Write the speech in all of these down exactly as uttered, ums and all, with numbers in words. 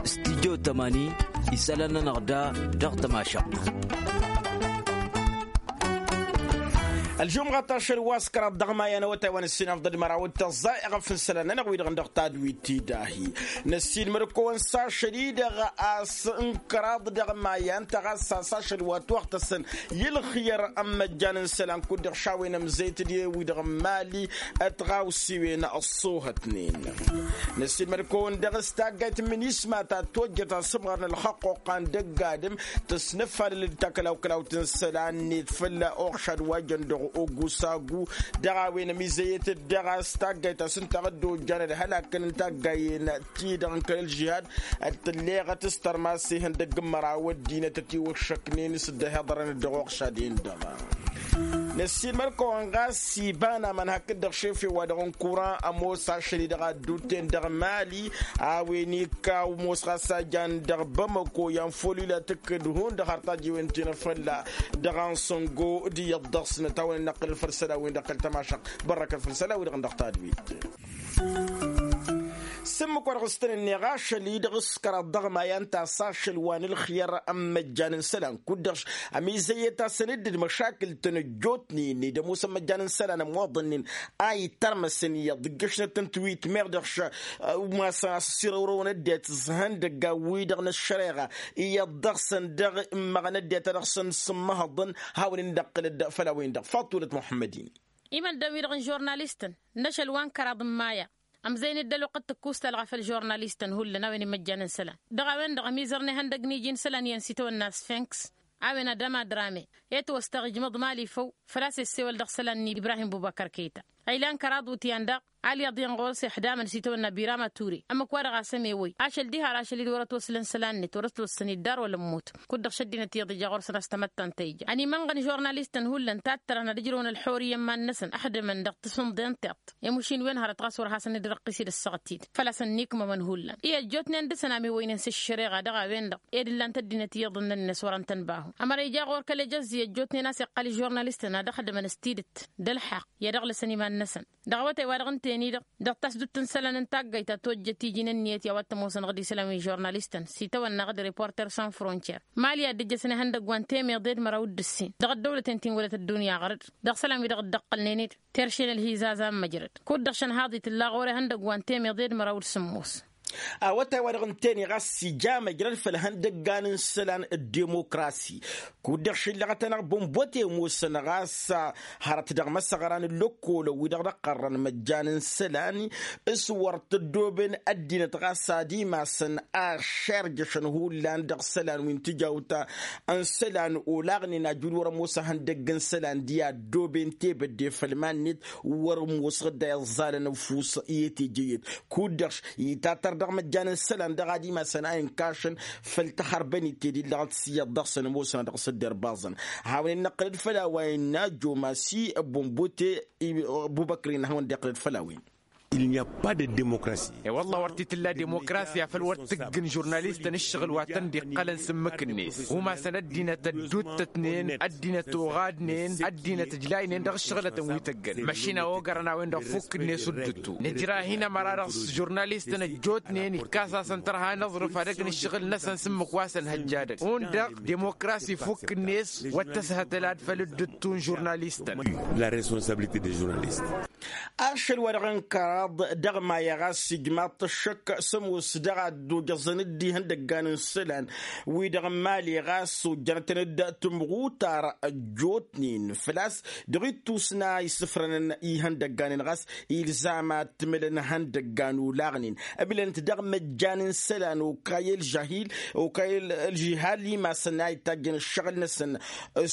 Studyo tămani isălan-nănăɣ da dăɣ-tămašăɣt. Ălžumɣăt ašăl wa s-kăraḍ dăɣ-maya n-awătay wa năssin afḍăl măraw d-tăẓẓa iɣăf n-isălan-nănăɣ wi-dăɣ n-dăɣ tadwit tidahi. Năssin mădăkowăn s-ašăl-i-dăɣ a-s n-kăraḍ dăɣ-maya ǝnta ɣas a-s ašăl wa t-wăɣtăsăn i-ǝlxǝyăr n-imăjjan n-isălan kud-dăɣ šawen ămzăyăt d-e-wi-dăɣ n-mali. Ătɣawsiwen ăṣṣoohătnen. Năssiilmăd-kăwăn-dăɣ s-taggayt n-minisma ta tojjăt asǝmɣar n-ălxăqquqa n-dăgg-adǝm tăsnăfalăl-dd takălaw-kălawt n-isălan-net fălla oɣšad wa jăn dăɣ-ogusagu. Dăɣ-a-wen ămizăyăt-dd dăɣ-a-s taggayt a-s ǝnta a dd-ojjan ălhălakăn n-taggayen-ti-dăɣ n-kăl-ălžihad. Ăttălleɣăt s-tărmas ihăndăgg n-măraw ăddinăt ătiwăššăknen s-dd-ăhiḍărăn dăɣ-oɣšad-en-dăɣ. Năssiilmăd-kăwăn ɣas iba n-aman hakd-dăɣ šefe-wa-dăɣ n-kuran ămoos ašăl-i-dăɣ adduten dăɣ-mali. A-wen ikka ămoos ɣas a jan dăɣ-bamăko i-anfăl ila tǝkkǝd hundăɣ har tajiwen ti n-afălla dăɣ-ansăngo d-iyyăḍ dăɣ-săn ătawăn-in-năqqǝlăl făll-isălan-win-dăɣ kăl-tămašăɣt. Bărrăkăt făll-isălan-wi-dăɣ n-dăɣ tadwit. S-ǝmmǝk wa dăɣ-s tăn-ǝnneɣ ašăl-i-dăɣ s-kăraḍ dăɣ-maya ǝnta a-s ašăl wa n-ǝlxǝyăr n-imăjjan n-isălan kud-dăɣ ămizăyyăt-asăn dd-măšakǝl-tăn ăjjootnen ed ămoosăn imăjjan n-isălan ămmoḍănnen a itărmăsăn iyyăḍ ǝggǝšnăt n-tiwit meɣ dăɣ-š. Umasăn a-s ăsirăwrăwăn ăddinăt s-ihăndăggan-wi-dăɣ n-ăššăreɣa iyyăḍ dăɣ-săn dăɣ-immăɣăn ăddinăt a dăɣ-săn s-ǝmmăhăḍăn. Hawăn-in-năqqǝlăd făll-a-wen-dăɣ faḍt tulăt muḥămmăd-in. Imăndăw-i-dăɣ n-žurnalistăn n-ašăl wa n-kăraḍ n-maya ămzăyăn-dd ălwăqq d-tǝkkustalɣa făll-žurnalistăn hullan a-wen imăjjan n-isălan. Dăɣ-a-wen-dăɣ ămizărnen ihăndăgg n-iji n-isălan iyyăn s-itawănna sfinks a-wen ad-ămadrame i-ătwăstăɣ ijmăḍ mali făw. Făl-a-s issewăl dăɣ-isălan-nni ibrahim bubăkăr keta a ilan kăraḍ utyan daɣ. Alyaḍ i-ănɣur s-ixdamăn s-itawănna birama ture ămmǝk-wa-dăɣ a-s ămewăy ašăl diha ar ašăl-i-dd wăr-ătwăslăn isălan-net wăr-ătwăslăn iddar wăla ămmut. Kud-dăɣ šăddinăt iyyăḍ ija ɣur-săn a-s tamăttant ta ija ănimănɣăn žurnalistăn hullan tattărăn ad-ǝjrǝwăn ălḥurǝyya n-iman-năsăn ăxdǝmăn dăɣ-tasǝmḍe n-tiṭṭ i-mušin wen hărăt ɣas wăr hasăn-dd-răqqis-dd ăssaɣăt-t-dd. Făl-a-s ănnikmămăn hullan i-ăjjootnen dăɣ-săn a miwăynen s-ăššăreɣa dăɣ-a-wen-dăɣ ed ǝllan-t ăddinăt iyyăḍ n-ănnes wăren-tăn bahu ămăra ija ɣur-kăl-ejăzzi ăjjootnen a-s iqqăl ižurnalistăn ad-ăxdǝmăn s-tidǝt d-ălḥaqq i-ad-ăɣlăsăn iman-năsăn. Dăɣ-awătay-wa-dăɣ ǝnta-en-i-dăɣ dăɣ-tasdut n-isălan n-taggayt ta tojjăt iji n-ǝnniyăt i-a-wa t-ămoosăn ɣǝd isălan wi žurnalistăn s-itawănna ɣǝd reporter sans frontier. Mali a dd-ǝjjăsăn ihăndăgg wa n-temeḍe d-măraw d-ǝssin dăɣ-ăddăwlăten ti n-wălăt ăddunya ɣărăd dăɣ-isălan-wi-dăɣ dd-ăqqălnen-dd terše n-ălhizaza n-măjrăd. Kud-dăɣ šăn haḍi tǝlla ɣur-e ihăndăgg wa n-temeḍe d-măraw d-sǝmmos. A-wătay-wa-dăɣ ǝnta-en-i ɣas ija măjrăd făll-ihăndăggan n-isălan d-demokrasi. Kud-dăɣ šǝllăɣăt-anăɣ bănbăte ămoosăn ɣas hărăt dăɣ-imăsăɣra n-ǝllăkkolăn wi-dăɣ dăɣ-qărrăn măjjan n-isălan s-wăr t-ăddooben ăddinăt ɣas ad-imasăn ašerjăšăn hullan dăɣ-isălan wi n-tijawt n-isălan olaɣnen ajul wăr-ămoos ihăndăgg n-isălan d-i-ăddooben tebădde făll-iman-net. Wăr-ămoosăɣ dd-a iẓẓalăn ăfus i-e-teje iyyăt kud-dăɣ itatăr dăɣ-măjjan n-isălan dăɣ-ad-imasăn a inkašăn făll-taxărbănit tedillăɣăt s-iyyăḍ dăɣ-săn ămoosăn dăɣ-săddărbaẓăn. Hawăn-in-năqqǝlăd făll-a-wa innă jomasi bănbute bubăkrin hawăn-dd-iqqǝlăd făll-a-wen. Il n'y a pas de démocratie. E-wălla wăr t-tǝlla demokrasya făl wăr tǝggǝn žurnalistăn ǝššăɣǝl wa tăn-dd-iqqălăn s-ǝmmǝk-net umasăn ăddinăt ădduuttătnen ăddinăt oɣadnen ăddinăt ǝjlaynen dăɣ-ǝššăɣǝlătăn wi tăggăn măšina ogărăn a-wen-dăɣ fukk-net uddǝttu. Nǝjra hin-ămăra-dăɣ s-žurnalistăn ăjjootnen ikkas-asăn tărha n-aẓrǝf ad-ăgg n-ǝššăɣǝl-năsăn s-ǝmmǝk wa s-ănhăjja dăgg-un-dăɣ demokrasi fukk-net wăr tăshătăl ad-făl ǝddǝttu n-žurnalistăn. La responsabilité des journalistes. Ašăl-wa-dăɣ n-kăraḍ dăɣ-maya ɣas ijmaḍ-t ăššăk s-ămoos dăɣ-ad-dd-ojăẓăn dd-ihăndăggan n-isălan wi-dăɣ n-imali ɣas ojjănătăn-dd timɣutar ăjjootnen făl-a-s dăɣ-ittus n-a isǝfrănăn ihăndăgganen ɣas ilzam ad-t-mǝlăn ihăndăggan olaɣnen ǝmǝlăn-t dăɣ-măjjan n-isălan okayăl žahil okayăl ălžihal imasăn a ittajjăn ǝššăɣǝl-năsăn.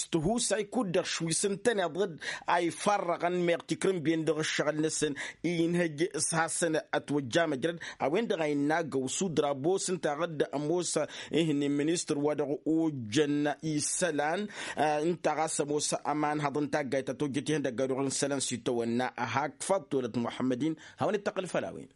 S-tihusay kud-dăɣ šwi s-ǝntăneḍ-dd a ifarrăɣăn meɣ tikrǝmben dăɣ-ǝššăɣǝl-năsăn inhăj s-hasăn-ătwăjja măjrăd. A-wen-dăɣ a innă agăw s-udrabo s-ǝnta ɣǝd ămoos ihǝnnin ministăr wa dăɣ-ojjăn isălan ǝnta ɣas ămoos ămanhăḍ n-taggayt ta tojjăt ihăndăgg ad-oɣǝl n-isălan s-itawănna. Hak faḍ tolăt muḥămmăd-in hawăn-dd-tăqqǝl făll-a-wen.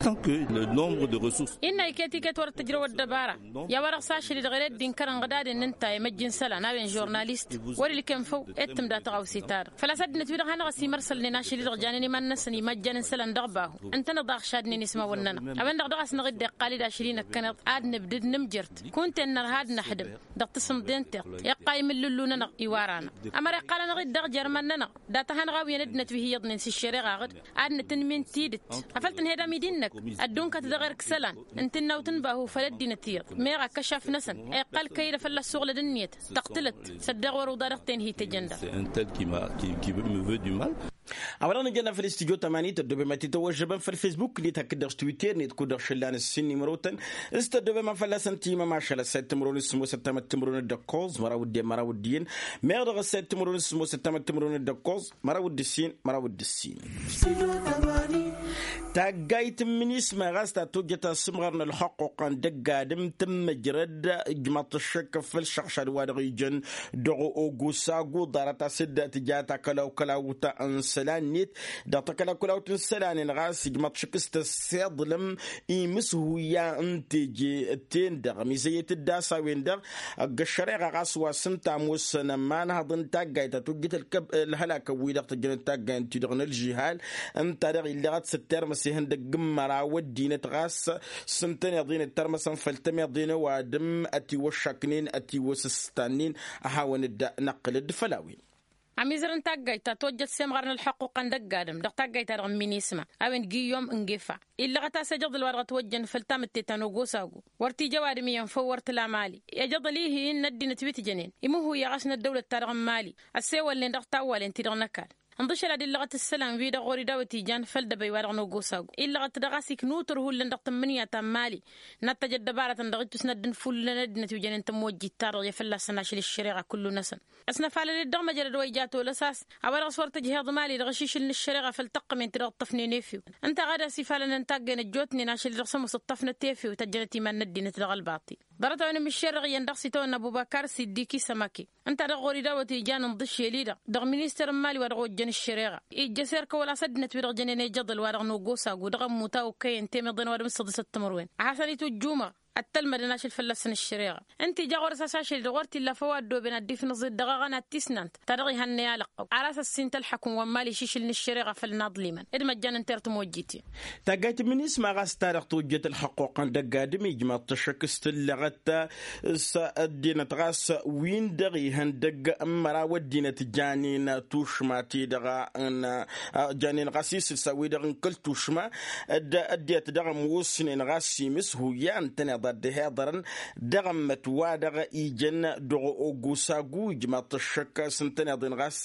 Tant que le nombre de ressources. Innă iket iket wăr t-ǝjrăw ăddăbara i-a-wa-dăɣ s-ašăl-i-dăɣ ere dd-inkărăn ɣǝdadăn n-ǝnta i-măjj n-isălan a-wen žurnalist wăr-ilkem făw. Ed tǝmda taɣawse-ta-dăɣ făl-a-s ăddinăt-wi-dăɣ hanăɣ-ăsimărsălnen ašăl-i-dăɣ janen iman-năsăn imăjjan n-isălan dăɣ-bahu. Ǝntăneḍ a ăɣšadnen ismawăn-nănăɣ a-wen-dăɣ dăɣ-a-s năɣ-dd-iqqal-dd ašăl-i năkkăneḍ ad-nǝbdǝd nǝmjărt kunta-en nărha ad-năxdǝm dăɣ-tasǝmḍe n-tiṭṭ. Iqqal imǝllǝllu-nănăɣ iwar-anăɣ ămăra iqqal-anăɣ-dd dăɣ-jer iman-nănăɣ. Dat-a hanăɣ-awǝyăn ăddinăt wi hi-iyyăḍnen s-ǝššăreɣa ɣǝd ad-nǝtǝnmin tidǝt afăl tǝnhedăm i-di-năk ăddunkăt dăɣ-erk isălan n-tǝnnawt n-bahu făll-ăddinăt iyyăḍ meɣ akkăšaf-năsăn. Iqqal kăy-dd a fălla-s suɣlăd ǝnniyăt tăɣtǝlăt săddeɣ wăr-uḍa dăɣ-ten hi-tejăn daɣ. A-wa-dăɣ nǝjănna făll-istudyo tămani tăddobem ad-t-tăwăžžăbăm făll-fesbuk-net hakd-dăɣ s-twitter-net kud-dăɣ šăllan ǝssin n-imrotăn s-tăddobem a fălla-săn timăm ašăl ăssayt timǝrwen s-sǝmmosăt tamăt timǝrwen d-ăkkoẓ măraw d-iyyăn măraw d-iyyăn. Meɣ dăɣ-ăssayt timǝrwen s-sǝmmosăt tamăt timǝrwen d-ăkkoẓ măraw d-ǝssin măraw d-ǝssin. Taggayt n-minisma ɣas ta tojjăt asǝmɣar n-ălxăqquqăn dăgg-adǝm tǝmmǝjrăd ijmaḍ-t ăššăk făll-šăɣšad wa dăɣ-ijăn dăɣ-ogosagu ḍarăt-as-dd tǝja takălaw-kălawt n-isălan-net. Dăɣ-takălaw-kălawt n-isălan-en ɣas ijmaḍ-t šăkk s-tăssiḍlăm imǝshuyya n-teje-ten-dăɣ ămizăyyăt-dd a-s a-wen-dăɣ ăgg-ăššăreɣa ɣas wa s-ǝnta ămoosăn ămanhăḍ n-taggayt ta tojjăt ălkăb-ălhălakăn-wi-dăɣ tăjjănăt taggayt-ti-dăɣ n-ălžihal. Ǝnta-dăɣ illăɣăt s-ăttermăs ihăndăgg n-măraw ăddinăt ɣas s-ǝntăneḍ-in ǝttărmăsăn făll-tămeḍe n-ăwadǝm ătiwăššaknen ătiwăsǝstannen. Ad-hawăn-dd-năqqǝl-dd făll-a-wen. Amizăr n-taggayt ta tojjăt s-emɣar n-ălḥăqquqăn dăgg-adǝm dăɣ-taggayt-ta-dăɣ n-minisma a-wen giyyom n-gefa illăɣăt-as ejăḍăl wa dăɣ-ătwăjjăn făll-tamǝtte ta n-ogosagu. Wăr t-ija ăwadǝm iyyăn făw wăr t-ila mali ejăḍăl-ihi n-ăddinăt wi t-jănen imǝhhuyyăɣ-as n-ăddăwlăt-ta-dăɣ n-mali. Ăssewălnen dăɣ-tawwalen-ti-dăɣ n-ăkall ǝnḍǝšăl ad-illăɣăt ǝssălan-wi-dăɣ ɣur-idawăt ijan făll-dăbăy wa dăɣ-nogosag illăɣăt dăɣ-a-s iknutăr hullan dăɣ-tǝmmǝnǝya ta n-mali. N-ad-tăj ăddăbarătăn dăɣ-ittus n-ad-dd-nǝfullǝlăn ăddinăt wi jănen tămojjit-ta-dăɣ i-fălla-săn ašăl ǝššăreɣa kullu-năsăn. Ăsnăfalăl-dd dăɣ-măjrăd wa ija tolăs a-s a-wa dăɣ-s wăr tǝjheḍ mali dăɣ-ašišǝl n-ǝššăreɣa făll-tăqqǝmen-ti-dăɣ ǝṭṭăfnen efew. Ǝnta a ɣad-as ifalăn n-taggăyăn ăjjootnen ašăl-i-dăɣ s-ămoos ǝṭṭăfnăt efew tăjjănăt iman n-ăddinăt dăɣ-ălbaṭil. Ḍarăt-a-wen ămmiššerrăɣ iyyăn dăɣ-s itawănna ăbubăkar s-iddiki s-ămake ǝnta-dăɣ ɣur-idawăt ijan ǝnḍǝšel-i-dăɣ dăɣ-minister n-mali wa dăɣ-ojjăn ǝššăreɣa. Ijjăs erk ăwăla-s ăddinăt-wi-dăɣ jănen ejăḍăl wa dăɣ-nogosag u-dăɣ ămmut a okăyăn temeḍen wa dăɣ-mǝssăḍǝsăt timǝrwen a hasăn-itujjumăɣ. Ăttălmădăn ašăl fălla-săn ǝššăreɣa ǝnta ija ɣur-s a-s ašăl-i-dăɣ wăr t-illa făw a ăddooben ad-dd-ifnǝẓ-dd dăɣ-aɣăna d-tisnant ta dăɣ-ihănnăy alăqqăw ar-as ăssint ălḥăkum wa n-mali išišǝl n-ǝššăreɣa făll-inaḍlimăn d-măjjan ǝnta i-ărt ămojjiten. Taggayt n-minisma ɣas ta-dăɣ tojjăt ălxăqquqăn dăgg-adǝm ijmaḍ-t ăššăk s-tǝllăɣăt s-ăddinăt ɣas win-dăɣ ihăndăgg n-măraw ăddinăt janen tušma-ti-dăɣ n-janen ɣas isǝlsa-wi-dăɣ n-kăl-tušma. D-ăddinăt dăɣ-ămoosnen ɣas imǝshuyya ǝntăneḍ ad-dd-hiḍărăn dăɣ-ămmăt wa dăɣ-ijăn dăɣ-ogosagu ijmaḍ-t ăššăk s-ǝntăneḍ-en ɣas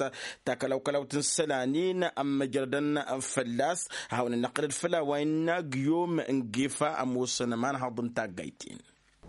takălawkălawt n-isălan-in ămmăjrădăn fălla-s. Ad-hawăn-dd-năqqǝlăd făll-a-wa innă giyom n-gefa ămoosăn ămanhăḍ n-taggayt-in.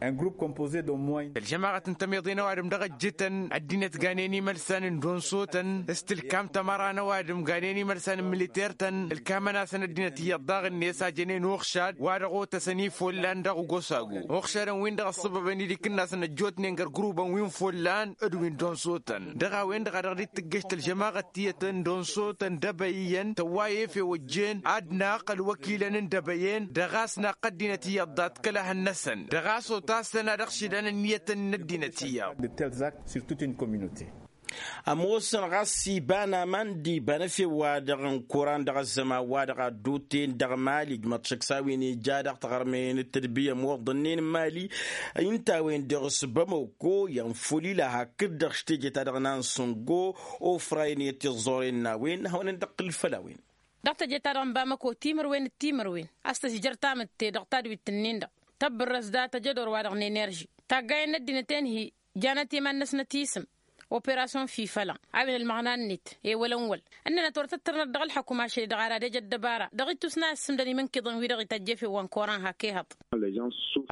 Un groupe composé d'au moins tălžămaɣăt n-tămeḍe n-ăwadǝm dăɣ-ăjjǝtăn ăddinăt ganen imălsan n-donsotăn s-tǝlkam tămăra n-ăwadǝm ganen imălsan n-militer-tăn ǝlkamăn-asăn ăddinăt iyyăḍ daɣ-net a jănen uxšad wa dăɣ-otăsăn ifollan dăɣ-gosagu uxšadăn-win-dăɣ ăṣṣăbăbăn idikǝnnasăn ăjjootnen găr gurubăn wi n-follan d-wi n-donsotăn dăɣ-a-wen-dăɣ a dăɣ-dd-tǝggăš tălžămaɣăt tiyyăt n-donsotăn d-ebăy iyyăn tăwwa i-efew ăjjeen ad-naqq ălwăkilăn n-debăyen dăɣ-a-s naqq ăddinăt iyyăḍ dat-kăla hăn-năsăn dăɣ-a-s otasăn ad-ăɣšǝdăn ǝnniyătăn n-ăddinăt iyyăḍ. De tels actes sur toute une communauté. Ămoosăn ɣas iba n-aman d-iba n-efew-wa-dăɣ n-kuran dăɣ-ăzzăman-wa-dăɣ a dd-oten dăɣ-mali ǝjmăḍ šăkk s-a-wen ija dăɣ-taɣărmen d-tadbǝy ămoḍănnen n-mali. Ǝnta a-wen-dăɣ s-bamăko i-ănfulila hakd-dăɣ s-teje-ta-dăɣ n-ansǝngo ofra-en i-ad-t-iẓẓoren n-a-wen hawăn-dd-ăqqǝl făll-a-wen. Dăɣ-teje-ta-dăɣ n-bamăko timǝrwen d-timǝrwen a-s tǝžjăr tamǝtte dăɣ-tadwit-ǝnnin-dăɣ tăbbărrăs dat-ăjădor-wa-dăɣ n-enerži taggayen n-ăddinăt-en-hi janăt iman-năsnăt isǝm operasyon fifăla a-wen ălmăɣna-net ewăl ănwăl ǝnnănăt wăr tăttărnăt dăɣ-ălḥăkum ašăl-i-dăɣ ara d-ejăt dăbara dăɣ-ittus n-a issǝmdăn imǝnkǝḍăn-wi-dăɣ itajj efew wa n-koran hak ehăḍ.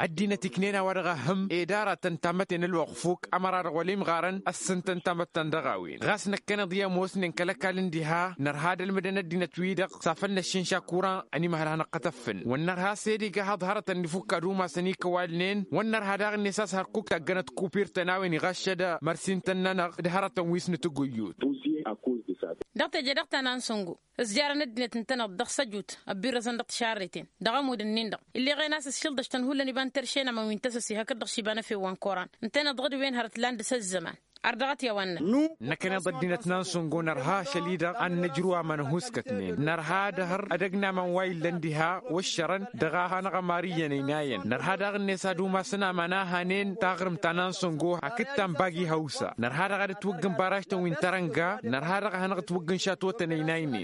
Ăddinăt iknen a-wa dăɣ-ehhǝm ed aratăn tamătte n-ălwăɣfuk ămăra-dăɣ wăla imɣarăn ăssǝntăn tamăttant dăɣ-a-wen ɣas năkkăneḍ i-ămoosnen kăl-ăkall n-diha nărha ad-ălmǝdăn ăddinăt-wi-dăɣ s-afăl năššǝnša kuran ănimăhăl a hanăɣ-kătăffǝn wăr nărha s-ed iga haḍ hărătăn n-ifukk ad-umasăn ikăwalnen wăr nărha daɣ-net a-s hărkuk taggănăt kupir-tăn a-wen iɣaššăd mărsintăn-nănăɣ d-hărătăn wi s-nǝtǝgǝyyut. Buzye a koz de Dăɣ-teje dăɣ-ta n-ansăngo ǝzjarăn ăddinăt ǝntăneḍ dăɣ-săjut ăbbirrăzăn dăɣ-tišarreten dăɣ-ămud-ǝnnin-dăɣ. Ill'-e ɣen a-s ǝššǝl-dăš tăn-hullan iba n-terše n-amăn wi n-tăsăse hakd-dăɣ s-iba n-efew wa n-koran ǝntăneḍ dăɣ-dd-wen hărăt lan dăɣ-s ăzzăman. Ardăɣăt i-a-wa ǝnnăn. Năkkăneḍ ăddinăt n-ansăngo nărha ašăl-i-dăɣ ad-năjrǝw aman ăhuskătnen nărha ad-ehăr ad-ăgg n-aman wa illăn diha wăššărăn dăɣ-a hanăɣ-ămar iyyăn ăynayăn nărha daɣ-net ad-umasăn aman a hanen taɣrǝmt ta n-ansăngo hakd ta n-bagi hawsa nărha daɣ ad-ătwăggǝn baraž-tăn wi n-tărănga nărha daɣ ad-hanăɣ-ătwăggǝn šatwătăn ăynaynen.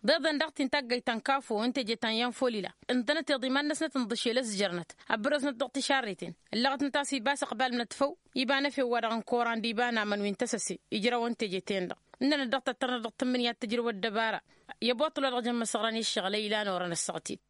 Ḍeḍen dăɣ-t-in taggăyt ta n-kafo n-teje ta n-yanfolila ǝntănăt iḍiman-năsnăt ǝnḍǝšel ăzjărnăt ăbbărăznăt dăɣ-tišarreten ǝllăɣăt-năt a-s ibas ăqbal n-ătfăw iba n-efew-wa-dăɣ n-koran d-iba n-amăn wi n-tăsăse ijrăwăn teje-ten-dăɣ. Ǝnnănăt dăɣ-tăttărnăt dăɣ-tǝmmǝnǝya d-tǝjrǝw ăddăbara i-ăboṭṭǝl wa dăɣ-jăn imăsăɣran i-ǝššăɣǝl ăylan orăn ăssaɣ-t-dd.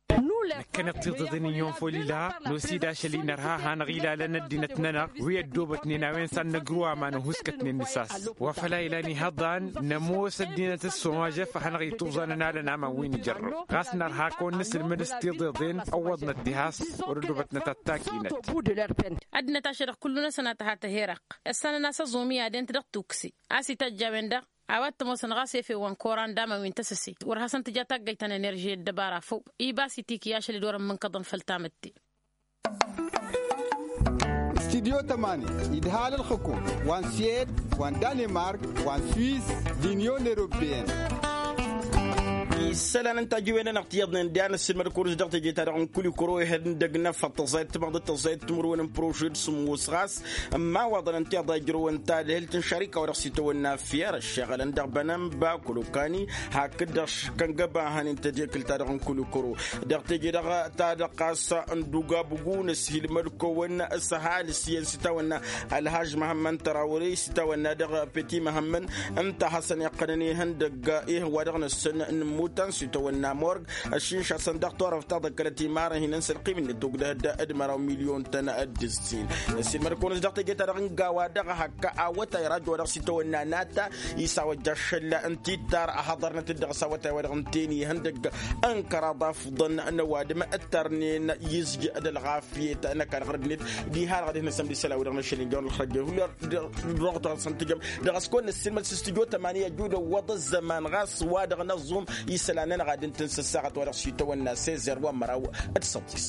Năkkăneḍ tiḍeḍen n-iyyăn făw lila n-osid ašăl-i nărha a hanăɣ-ilalăn ăddinăt-nănăɣ wi ăddoobătnen a-wen s-ad-năgrǝw aman ăhuskătnen n-isas wa făl a ilan ihăḍan. Nămoos ăddinăt s-somažef a hanăɣ-ituẓanăn alăn aman wi n-ijărrăw ɣas nărha kăwăn-nǝsǝlmǝd s-tiḍeḍen ăwwăḍnăt diha-s wăr-ăddoobătnăt ad-takinăt. Ăddinăt ašăl-dăɣ kullu-năsăn a tăha tăheraq ǝssanăn a-s ăẓum i-ad-ent dăɣ-tukse a-s itajj a-wen-dăɣ a-wa t-ămoosăn ɣas efew wa n-koran d-aman wi n-tăsăse wăr hasăn-tǝja taggăyt ta n-enerži ăddăbara făw. Ibas itiki ašăl-dd wăr-ămmǝnkăḍăn făll-tamǝtte. Studyo tămani idhal ălxǝkum wa n-swed wa n-danemark wa n-swis d-inyon europeyăn. Isălan n-tajǝwen-nănăɣ tiyyăḍnen d-iyan ăssiilmăd-kăwăn-s dăɣ-teje-ta-dăɣ n-kulikuro ihăndăg n-afăḍ tăẓayăt timăḍăt tăẓayăt timǝrwen n-prožed sǝmmos ɣas ămmawaḍăn ǝnta iḍa ijrăwăn tadhǝlt n-šarika wa dăɣ-s itawănna fiyăr ăššăɣǝlăn dăɣ-bănănba kulukani hakd-dăɣ škăngăba a hanen tedekǝlt-ta-dăɣ n-kulikuro. Dăɣ-teje-dăɣ ta dăɣ-ɣas n-dugabǝgu n-ăshilmăd-kăwăn s-ăhalǝs iyyăn s-itawănna ălhaž măhămmăn tărawre s-itawănna dăɣ-peti măhămmăn ǝnta a hasăn-iqqănăn ihăndăgg ih'-wa-dăɣ n-ǝssǝn n-immutan s-itawănna morg ăššinšasăn dăɣ-turăft ta ḍăkkălăt imarăn hinăn s-ălqim-net ogdăh d-măraw milyon-tăn d-ǝssin. Ăssiilmăd-kăwăn-s dăɣ-teje-ta-dăɣ n-gawa dăɣ-hak awătay rajo wa dăɣ-s itawănna nata isawăjja ašăl n-tittar a hăḍărnăt-dd dăɣ-s awătay wa dăɣ-ǝnten ihăndăgg n-kăraḍ afḍăn n-ăwadǝm ǝttărnen izj d-ălɣafyet n-ăkall ɣărăgnet. Diha-dăɣ ad-ih-năsăm d-isălan-wi-dăɣ n-ašăl injăwăn ălxărjăn hullan dăɣ-tăɣsăn tǝjăm dăɣ-s kăwăn-nǝssilmăd s-studyo tămani ăjud ăwwăḍ ăzzăman ɣas wa dăɣ-năẓum isălan-nănăɣ ad-ǝntǝn s-ăssaɣăt wa dăɣ-s itawănna sezer wa n-măraw d-săḍis.